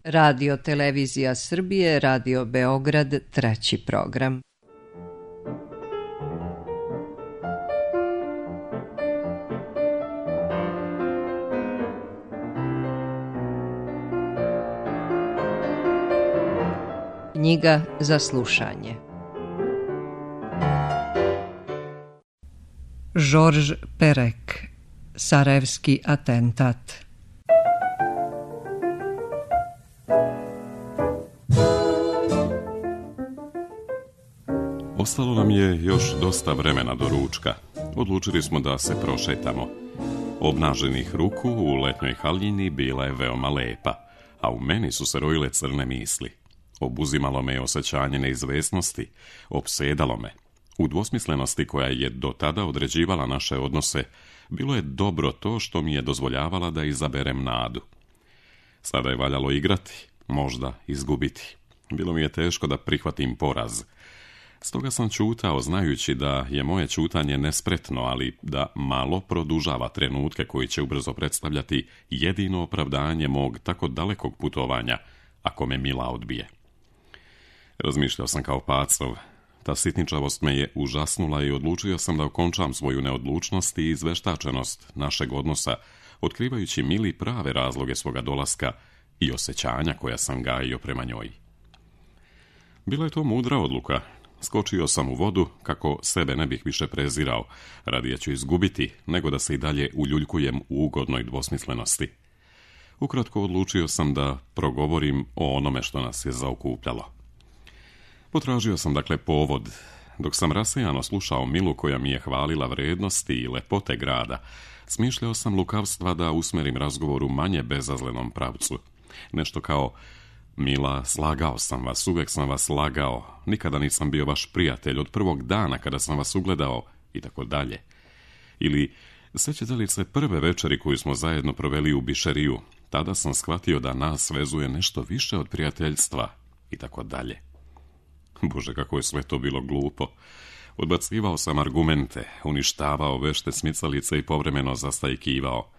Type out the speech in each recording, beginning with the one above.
Radio Televizija Srbije, Radio Beograd, treći program. Knjiga za slušanje. Georges Perec, Sarajevski atentat. Ostalo nam je još dosta vremena do ručka. Odlučili smo da se prošetamo. Obnaženih ruku u letnjoj haljini bila je veoma lepa, a u meni su se rojile crne misli. Obuzimalo me osjećanje neizvesnosti, opsedalo me. U dvosmislenosti koja je do tada određivala naše odnose, bilo je dobro to što mi je dozvoljavala da izaberem nadu. Sada je valjalo igrati, možda izgubiti. Bilo mi je teško da prihvatim poraz. Stoga sam ćutao, znajući da je moje ćutanje nespretno, ali da malo produžava trenutke koji će ubrzo predstavljati jedino opravdanje mog tako dalekog putovanja, ako me Mila odbije. Razmišljao sam kao pacov. Ta sitničavost me je užasnula i odlučio sam da okončam svoju neodlučnost i izveštačenost našeg odnosa, otkrivajući Mili prave razloge svoga dolaska i osjećanja koja sam gajio prema njoj. Bila je to mudra odluka. Skočio sam u vodu kako sebe ne bih više prezirao, radije ću izgubiti nego da se i dalje uljuljkujem u ugodnoj dvosmislenosti. Ukratko odlučio sam da progovorim o onome što nas je zaokupljalo. Potražio sam dakle povod, dok sam rasejano slušao Milu koja mi je hvalila vrednosti i lepote grada. Smišljao sam lukavstva da usmerim razgovor u manje bezazlenom pravcu. Nešto kao: Mila, slagao sam vas, uvek sam vas lagao, nikada nisam bio vaš prijatelj od prvog dana kada sam vas ugledao, i tako dalje. Ili: sećate li se prve večeri koju smo zajedno proveli u Bišeriju? Tada sam shvatio da nas vezuje nešto više od prijateljstva, i tako dalje. Bože, kako je sve to bilo glupo. Odbacivao sam argumente, uništavao vešte smicalice i povremeno zastajkivao.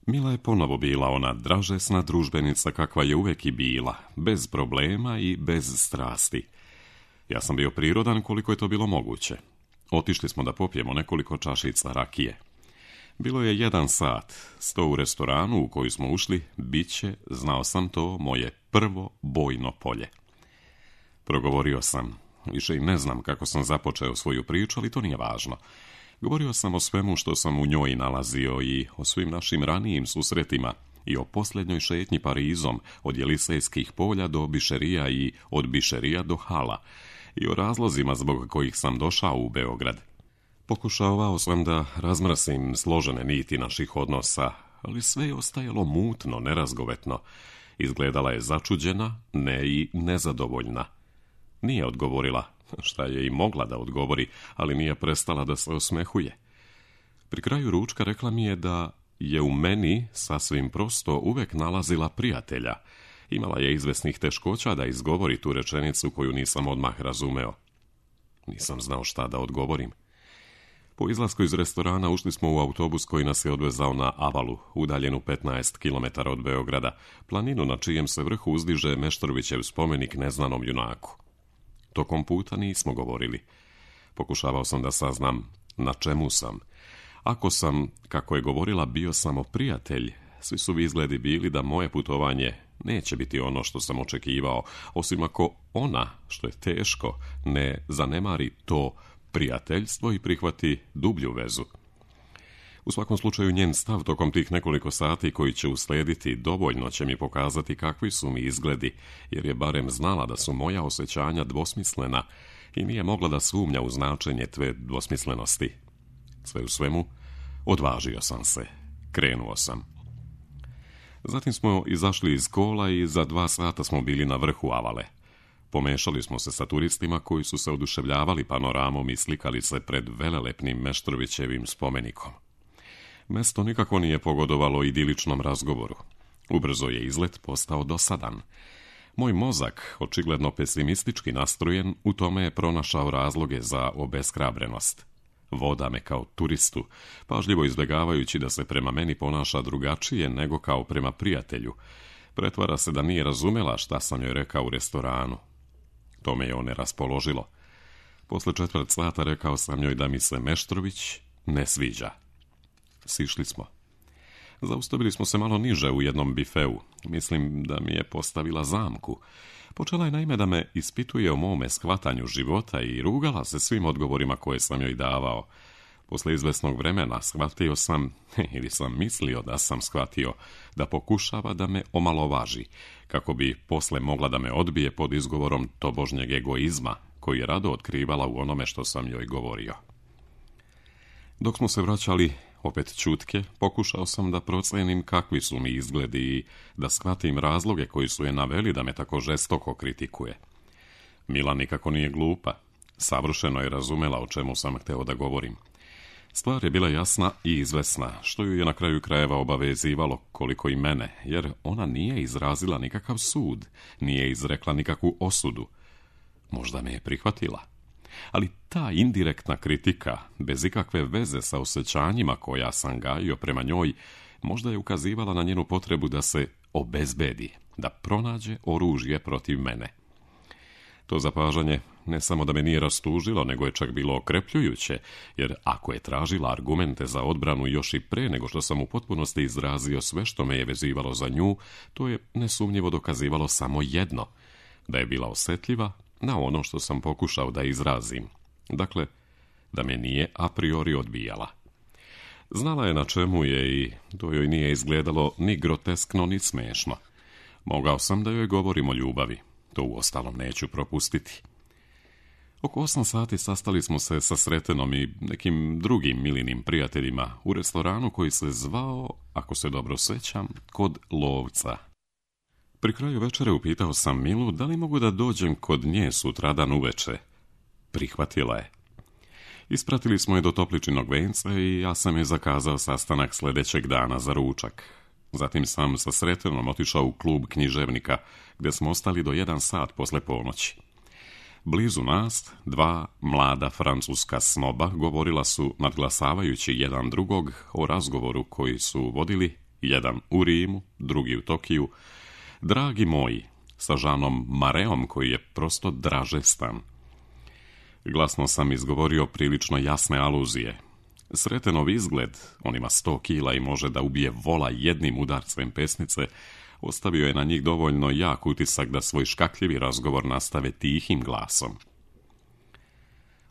Mila je ponovo bila ona dražesna družbenica kakva je uvek i bila, bez problema i bez strasti. Ja sam bio prirodan koliko je to bilo moguće. Otišli smo da popijemo nekoliko čašica rakije. Bilo je 1 sat, sto u restoranu u koji smo ušli, bit će, znao sam to, moje prvo bojno polje. Progovorio sam. Više i ne znam kako sam započeo svoju priču, ali to nije važno. Govorio sam o svemu što sam u njoj nalazio i o svim našim ranijim susretima i o posljednjoj šetnji Parizom od Jelisejskih polja do Bišerija i od Bišerija do Hala i o razlozima zbog kojih sam došao u Beograd. Pokušavao sam da razmrasim složene niti naših odnosa, ali sve je ostajalo mutno, nerazgovetno. Izgledala je začuđena, ne i nezadovoljna. Nije odgovorila, šta je i mogla da odgovori, ali nije prestala da se osmehuje. Pri kraju ručka rekla mi je da je u meni sasvim prosto uvek nalazila prijatelja. Imala je izvesnih teškoća da izgovori tu rečenicu koju nisam odmah razumeo. Nisam znao šta da odgovorim. Po izlasku iz restorana ušli smo u autobus koji nas je odvezao na Avalu, udaljenu 15 km od Beograda, planinu na čijem se vrhu uzdiže Meštrovićev spomenik neznanom junaku. Tokom puta nismo govorili. Pokušavao sam da saznam na čemu sam. Ako sam, kako je govorila, bio samo prijatelj, svi su izgledi bili da moje putovanje neće biti ono što sam očekivao, osim ako ona, što je teško, ne zanemari to prijateljstvo i prihvati dublju vezu. U svakom slučaju njen stav tokom tih nekoliko sati koji će uslediti dovoljno će mi pokazati kakvi su mi izgledi, jer je barem znala da su moja osjećanja dvosmislena i nije mogla da sumnja u značenje tve dvosmislenosti. Sve u svemu, odvažio sam se, krenuo sam. Zatim smo izašli iz kola i za 2 sata smo bili na vrhu Avale. Pomešali smo se sa turistima koji su se oduševljavali panoramom i slikali se pred velelepnim Meštrovićevim spomenikom. Mesto nikako nije pogodovalo idiličnom razgovoru. Ubrzo je izlet postao dosadan. Moj mozak, očigledno pesimistički nastrojen, u tome je pronašao razloge za obeshrabrenost. Voda me kao turistu, pažljivo izbjegavajući da se prema meni ponaša drugačije nego kao prema prijatelju. Pretvara se da nije razumela šta sam joj rekao u restoranu. To me je one raspoložilo. Posle 1/4 sata rekao sam joj da mi se Meštrović ne sviđa. Sišli smo. Zaustavili smo se malo niže u jednom bifeu. Mislim da mi je postavila zamku. Počela je naime da me ispituje o mome shvatanju života i rugala se svim odgovorima koje sam joj davao. Posle izvesnog vremena shvatio sam, ili sam mislio da sam shvatio, da pokušava da me omalovaži, kako bi posle mogla da me odbije pod izgovorom tobožnjeg egoizma, koji je rado otkrivala u onome što sam joj govorio. Dok smo se vraćali, opet ćutke, pokušao sam da procenim kakvi su mi izgledi i da shvatim razloge koji su je naveli da me tako žestoko kritikuje. Mila nikako nije glupa. Savršeno je razumela o čemu sam hteo da govorim. Stvar je bila jasna i izvesna, što ju je na kraju krajeva obavezivalo koliko i mene, jer ona nije izrazila nikakav sud, nije izrekla nikakvu osudu. Možda me je prihvatila. Ali ta indirektna kritika, bez ikakve veze sa osjećanjima koja sam gajio prema njoj, možda je ukazivala na njenu potrebu da se obezbedi, da pronađe oružje protiv mene. To zapažanje ne samo da me nije rastužilo, nego je čak bilo okrepljujuće, jer ako je tražila argumente za odbranu još i pre nego što sam u potpunosti izrazio sve što me je vezivalo za nju, to je nesumnjivo dokazivalo samo jedno, da je bila osjetljiva na ono što sam pokušao da izrazim. Dakle, da me nije a priori odbijala. Znala je na čemu je i to joj nije izgledalo ni groteskno, ni smešno. Mogao sam da joj govorim o ljubavi. To uostalom neću propustiti. Oko 8 sati sastali smo se sa Sretenom i nekim drugim Milinim prijateljima u restoranu koji se zvao, ako se dobro sećam, Kod Lovca. Pri kraju večere upitao sam Milu da li mogu da dođem kod nje sutradan uveče. Prihvatila je. Ispratili smo je do Topličinog venca i ja sam je zakazao sastanak sljedećeg dana za ručak. Zatim sam sa Sretenom otišao u klub književnika, gdje smo ostali do 1 sat posle ponoći. Blizu nas, 2 mlada francuska snoba govorila su, nadglasavajući jedan drugog, o razgovoru koji su vodili, jedan u Rimu, drugi u Tokiju, dragi moji, sa Žanom Mareom koji je prosto dražestan. Glasno sam izgovorio prilično jasne aluzije. Sretenov izgled, on ima 100 kila i može da ubije vola jednim udarcem pesnice, ostavio je na njih dovoljno jak utisak da svoj škakljivi razgovor nastave tihim glasom.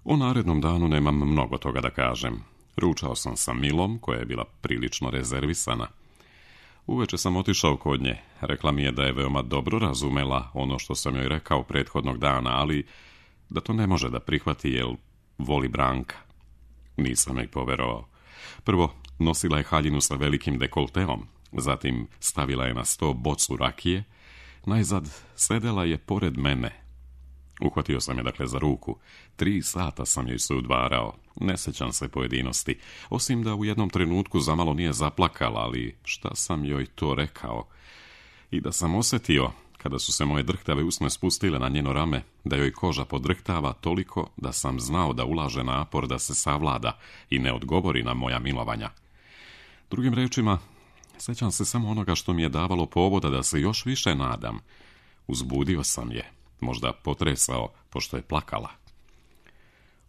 O narednom danu nemam mnogo toga da kažem. Ručao sam sa Milom, koja je bila prilično rezervisana. Uveče sam otišao kod nje. Rekla mi je da je veoma dobro razumela ono što sam joj rekao prethodnog dana, ali da to ne može da prihvati jer voli Branka. Nisam joj poverovao. Prvo, nosila je haljinu sa velikim dekolteom, zatim stavila je na sto bocu rakije, najzad sedela je pored mene. Uhvatio sam je dakle za ruku. 3 sata sam joj se udvarao. Ne sećam se pojedinosti, osim da u jednom trenutku zamalo nije zaplakala, ali šta sam joj to rekao? I da sam osjetio, kada su se moje drhtave usne spustile na njeno rame, da joj koža podrhtava toliko da sam znao da ulaže napor da se savlada i ne odgovori na moja milovanja. Drugim rečima, sećam se samo onoga što mi je davalo povoda da se još više nadam. Uzbudio sam je, možda potresao, pošto je plakala.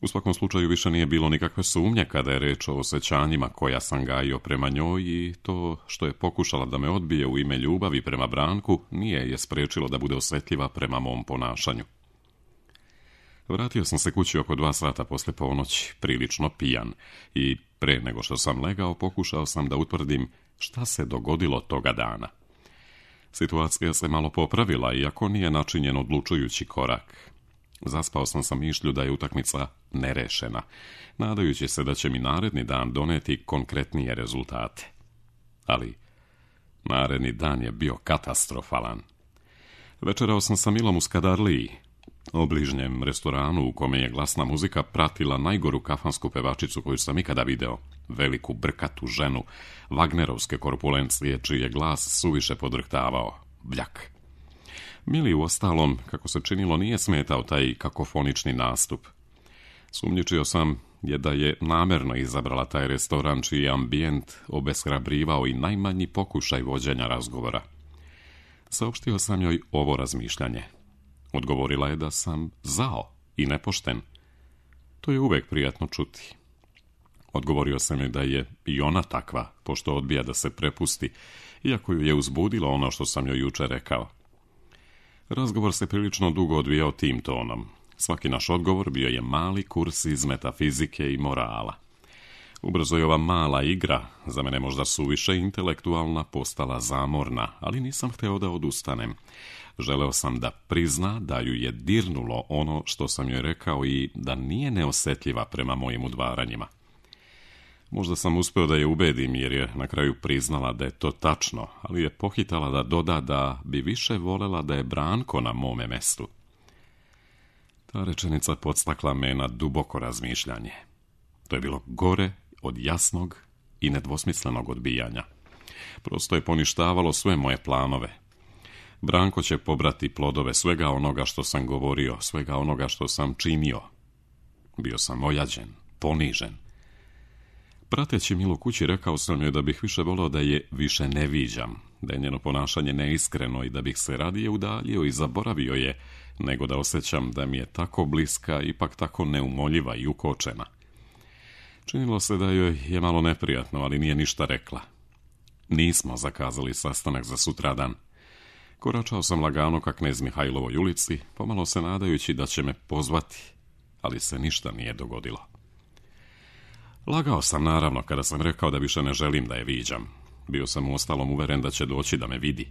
U svakom slučaju više nije bilo nikakve sumnje kada je reč o osjećanjima koja sam gajio prema njoj i to što je pokušala da me odbije u ime ljubavi prema Branku nije je sprečilo da bude osjetljiva prema mom ponašanju. Vratio sam se kući oko 2 sata posle ponoći, prilično pijan, i pre nego što sam legao pokušao sam da utvrdim šta se dogodilo toga dana. Situacija se malo popravila, iako nije načinjen odlučujući korak. Zaspao sam sa mišlju da je utakmica nerešena, nadajući se da će mi naredni dan doneti konkretnije rezultate. Ali naredni dan je bio katastrofalan. Večerao sam sa Milom u Skadarliji, obližnjem restoranu u kome je glasna muzika pratila najgoru kafansku pevačicu koju sam ikada video, veliku brkatu ženu, Wagnerovske korpulencije, čiji je glas suviše podrhtavao, bljak. Mili uostalom, kako se činilo, nije smetao taj kakofonični nastup. Sumnjičio sam da je namerno izabrala taj restoran čiji je ambijent obeshrabrivao i najmanji pokušaj vođenja razgovora. Saopštio sam joj ovo razmišljanje. Odgovorila je da sam zao i nepošten. To je uvek prijatno čuti. Odgovorio sam joj da je i ona takva, pošto odbija da se prepusti, iako ju je uzbudilo ono što sam joj juče rekao. Razgovor se prilično dugo odvijao tim tonom. Svaki naš odgovor bio je mali kurs iz metafizike i morala. Ubrzo je ova mala igra, za mene možda suviše intelektualna, postala zamorna, ali nisam hteo da odustanem. Želeo sam da prizna da ju je dirnulo ono što sam joj rekao i da nije neosjetljiva prema mojim udvaranjima. Možda sam uspeo da je ubedim jer je na kraju priznala da je to tačno, ali je pohitala da doda da bi više volela da je Branko na mome mestu. Ta rečenica podstakla me na duboko razmišljanje. To je bilo gore od jasnog i nedvosmislenog odbijanja. Prosto je poništavalo sve moje planove. Branko će pobrati plodove svega onoga što sam govorio, svega onoga što sam činio. Bio sam ojađen, ponižen. Prateći Milu kući rekao sam joj da bih više voleo da je više ne viđam, da je njeno ponašanje neiskreno i da bih se radije udaljio i zaboravio je, nego da osjećam da mi je tako bliska, ipak tako neumoljiva i ukočena. Činilo se da joj je malo neprijatno, ali nije ništa rekla. Nismo zakazali sastanak za sutradan. Koračao sam lagano ka Knez Mihajlovoj ulici, pomalo se nadajući da će me pozvati, ali se ništa nije dogodilo. Lagao sam naravno kada sam rekao da više ne želim da je viđam. Bio sam uostalom uveren da će doći da me vidi.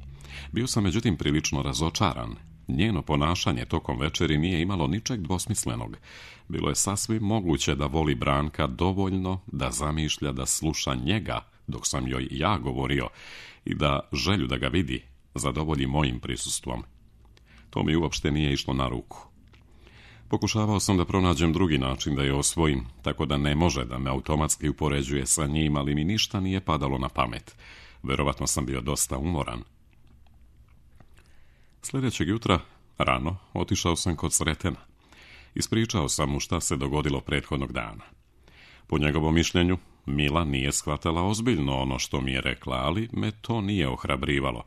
Bio sam međutim prilično razočaran. Njeno ponašanje tokom večeri nije imalo ničeg dvosmislenog. Bilo je sasvim moguće da voli Branka dovoljno da zamišlja da sluša njega dok sam joj ja govorio i da želju da ga vidi zadovolji mojim prisustvom. To mi uopšte nije išlo na ruku. Pokušavao sam da pronađem drugi način da je osvojim, tako da ne može da me automatski upoređuje sa njim, ali mi ništa nije padalo na pamet. Verovatno sam bio dosta umoran. Sljedećeg jutra, rano, otišao sam kod Sretena. Ispričao sam mu šta se dogodilo prethodnog dana. Po njegovom mišljenju, Mila nije shvatala ozbiljno ono što mi je rekla, ali me to nije ohrabrivalo.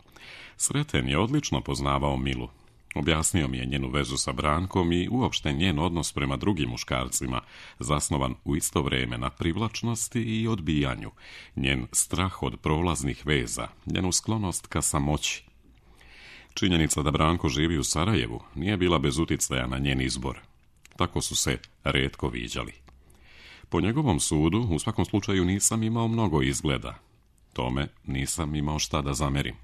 Sreten je odlično poznavao Milu. Objasnio mi je njenu vezu sa Brankom i uopšte njen odnos prema drugim muškarcima, zasnovan u isto vrijeme na privlačnosti i odbijanju, njen strah od prolaznih veza, njenu sklonost ka samoći. Činjenica da Branko živi u Sarajevu nije bila bez uticaja na njen izbor. Tako su se rijetko viđali. Po njegovom sudu, u svakom slučaju nisam imao mnogo izgleda. Tome nisam imao šta da zamerim.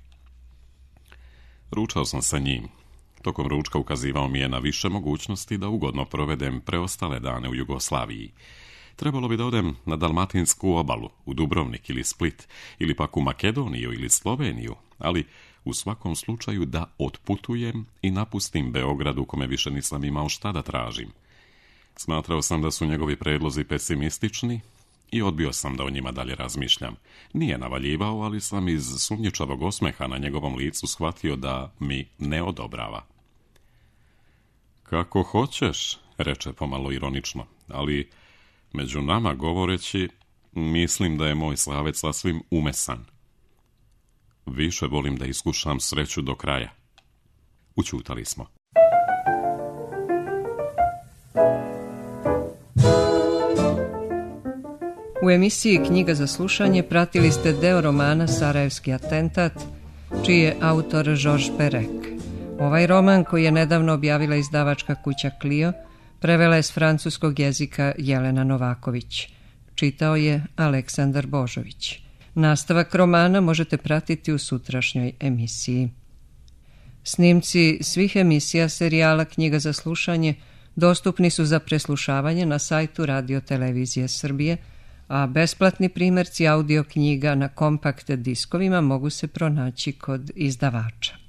Ručao sam sa njim. Tokom ručka ukazivao mi je na više mogućnosti da ugodno provedem preostale dane u Jugoslaviji. Trebalo bi da odem na Dalmatinsku obalu, u Dubrovnik ili Split, ili pak u Makedoniju ili Sloveniju, ali u svakom slučaju da otputujem i napustim Beograd u kome više nisam imao šta da tražim. Smatrao sam da su njegovi predlozi pesimistični i odbio sam da o njima dalje razmišljam. Nije navaljivao, ali sam iz sumnjičavog osmeha na njegovom licu shvatio da mi ne odobrava. Kako hoćeš, reče pomalo ironično, ali među nama govoreći, mislim da je moj Slavec sasvim umesan. Više volim da iskušam sreću do kraja. Ućutali smo. U emisiji Knjiga za slušanje pratili ste deo romana Sarajevski atentat, čiji je autor Georges Perec. Ovaj roman, koji je nedavno objavila izdavačka kuća Clio, prevela je s francuskog jezika Jelena Novaković. Čitao je Aleksandar Božović. Nastavak romana možete pratiti u sutrašnjoj emisiji. Snimci svih emisija serijala Knjiga za slušanje dostupni su za preslušavanje na sajtu Radio Televizije Srbije, a besplatni primjerci audio knjiga na kompakt diskovima mogu se pronaći kod izdavača.